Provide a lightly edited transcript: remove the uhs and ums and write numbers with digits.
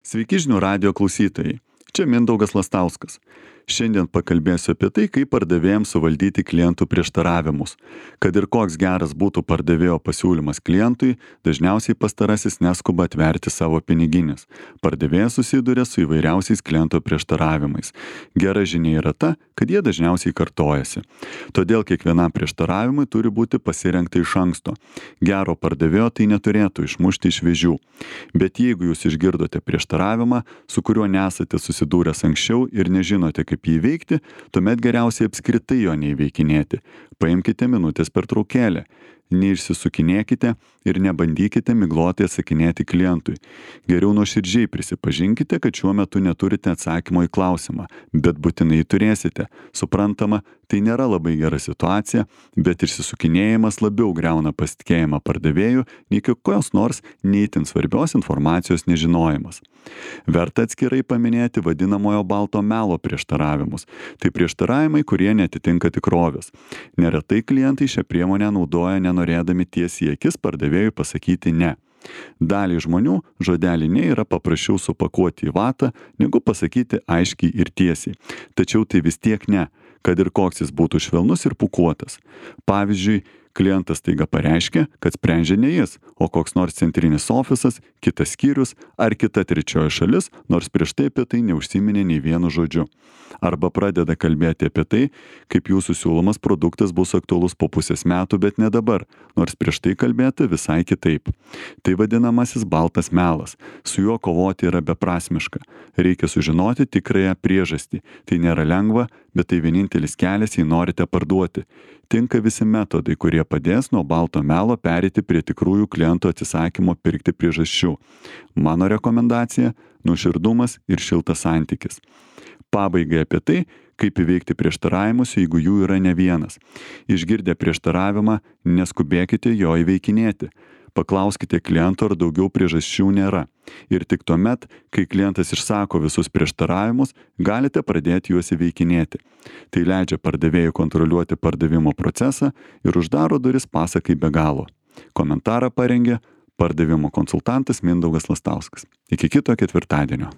Sveiki žinių radijo klausytojai. Čia Mindaugas Lastauskas. Šiandien pakalbėsiu apie tai, kaip pardavėjams suvaldyti klientų prieštaravimus. Kad ir koks geras būtų pardavėjo pasiūlymas klientui, dažniausiai pastarasis neskuba atverti savo piniginės. Pardavėjas susiduria su įvairiausiais kliento prieštaravimais. Gera žinia yra ta, kad jie dažniausiai kartojasi. Todėl kiekvienam prieštaravimui turi būti pasirengta iš anksto. Gero pardavėjo tai neturėtų išmušti iš vėžių. Bet jeigu jūs išgirdote prieštaravimą, su kuriuo nesate susidūręs anksčiau ir nežinote, kaip jį įveikti, tuomet geriausiai apskritai jo neįveikinėti. Paimkite minutės pertraukėlę. Neišsisukinėkite ir nebandykite miglotai atsakinėti klientui. Geriau nuoširdžiai prisipažinkite, kad šiuo metu neturite atsakymo į klausimą, bet būtinai turėsite. Suprantama, tai nėra labai gera situacija, bet išsisukinėjimas labiau griauna pasitikėjimą pardavėjų, nei kokios nors neįtin svarbios informacijos nežinojimas. Verta atskirai paminėti vadinamojo balto melo prieštaravimus. Tai prieštaravimai, kurie netitinka tikrovės. Neretai klientai šią priemonę naudoja nenorėdami tiesiai į akis pardavėjui pasakyti ne. Daliai žmonių žodelį ne yra paprasčiau supakuoti į vatą, negu pasakyti aiškiai ir tiesiai. Tačiau tai vis tiek ne, kad ir koks jis būtų švelnus ir pūkuotas. Pavyzdžiui, klientas taiga pareiškia, kad sprendžia ne jis, o koks nors centrinis ofisas, kitas skyrius ar kita trečioji šalis, nors prieš tai apie tai neužsiminė nei vienu žodžiu. Arba pradeda kalbėti apie tai, kaip jūsų siūlomas produktas bus aktualus po pusės metų, bet ne dabar, nors prieš tai kalbėta visai kitaip. Tai vadinamasis baltas melas. Su juo kovoti yra beprasmiška. Reikia sužinoti tikrąją priežastį. Tai nėra lengva, bet tai vienintelis kelias, jei norite parduoti. Tinka visi metodai, kurie padės nuo balto melo pereiti prie tikrųjų klientų atsisakymo pirkti priežasčių. Mano rekomendacija - nuoširdumas ir šiltas santykis. Pabaigai apie tai, kaip įveikti prieštaravimus, jeigu jų yra ne vienas. Išgirdę prieštaravimą, neskubėkite jo įveikinėti. Paklauskite kliento, ar daugiau priežasčių nėra. Ir tik tuomet, kai klientas išsako visus prieštaravimus, galite pradėti juos įveikinėti. Tai leidžia pardavėjui kontroliuoti pardavimo procesą ir uždaro duris pasakai be galo. Komentarą parengė pardavimo konsultantas Mindaugas Lastauskas. Iki kito ketvirtadienio.